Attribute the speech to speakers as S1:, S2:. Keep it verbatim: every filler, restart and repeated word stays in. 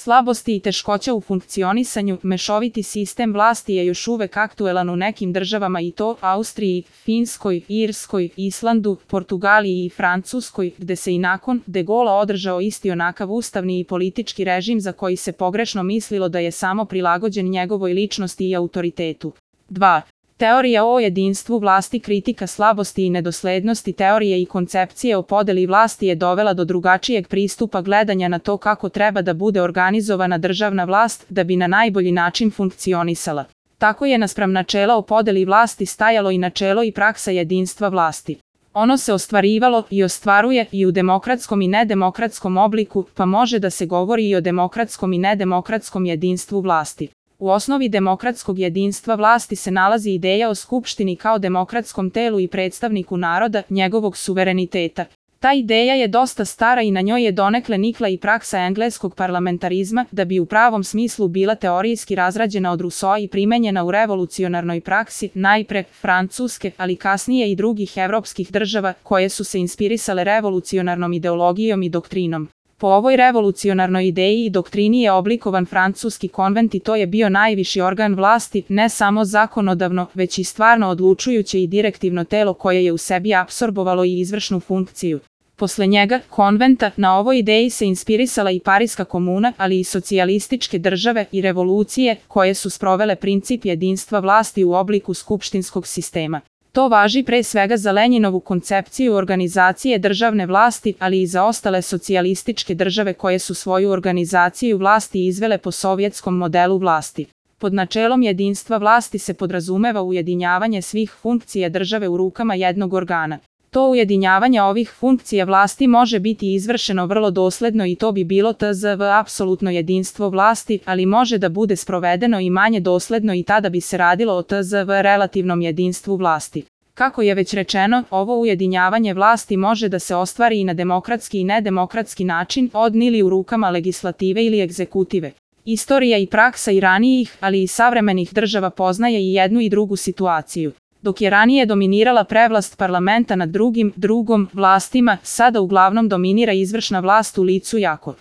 S1: Slabosti i teškoća u funkcionisanju, mešoviti sistem vlasti je još uvek aktuelan u nekim državama i to Austriji, Finskoj, Irskoj, Islandu, Portugaliji i Francuskoj, gde se i nakon De Gaulea održao isti onakav ustavni i politički režim za koji se pogrešno mislilo da je samo prilagođen njegovoj ličnosti i autoritetu. dva. Teorija o jedinstvu vlasti. Kritika slabosti i nedoslednosti teorije i koncepcije o podeli vlasti je dovela do drugačijeg pristupa gledanja na to kako treba da bude organizovana državna vlast da bi na najbolji način funkcionisala. Tako je naspram načela o podeli vlasti stajalo i načelo i praksa jedinstva vlasti. Ono se ostvarivalo i ostvaruje i u demokratskom i nedemokratskom obliku, pa može da se govori i o demokratskom i nedemokratskom jedinstvu vlasti. U osnovi demokratskog jedinstva vlasti se nalazi ideja o skupštini kao demokratskom telu i predstavniku naroda, njegovog suvereniteta. Ta ideja je dosta stara i na njoj je donekle nikla i praksa engleskog parlamentarizma, da bi u pravom smislu bila teorijski razrađena od Rousseaua i primenjena u revolucionarnoj praksi, najpre Francuske, ali kasnije i drugih evropskih država, koje su se inspirisale revolucionarnom ideologijom i doktrinom. Po ovoj revolucionarnoj ideji i doktrini je oblikovan francuski konvent i to je bio najviši organ vlasti, ne samo zakonodavno, već i stvarno odlučujuće i direktivno telo koje je u sebi apsorbovalo i izvršnu funkciju. Posle njega, konventa, na ovoj ideji se inspirisala i Pariska komuna, ali i socijalističke države i revolucije, koje su sprovele princip jedinstva vlasti u obliku skupštinskog sistema. To važi pre svega za Lenjinovu koncepciju organizacije državne vlasti, ali i za ostale socijalističke države koje su svoju organizaciju vlasti izvele po sovjetskom modelu vlasti. Pod načelom jedinstva vlasti se podrazumeva ujedinjavanje svih funkcija države u rukama jednog organa. To ujedinjavanje ovih funkcija vlasti može biti izvršeno vrlo dosledno i to bi bilo tzv. Apsolutno jedinstvo vlasti, ali može da bude sprovedeno i manje dosledno i tada bi se radilo o tzv. Relativnom jedinstvu vlasti. Kako je već rečeno, ovo ujedinjavanje vlasti može da se ostvari i na demokratski i nedemokratski način, od ili u rukama legislative ili egzekutive. Istorija i praksa i ranijih, ali i savremenih država poznaje i jednu i drugu situaciju. Dok je ranije dominirala prevlast parlamenta nad drugim, drugom, vlastima, sada uglavnom dominira izvršna vlast u licu jako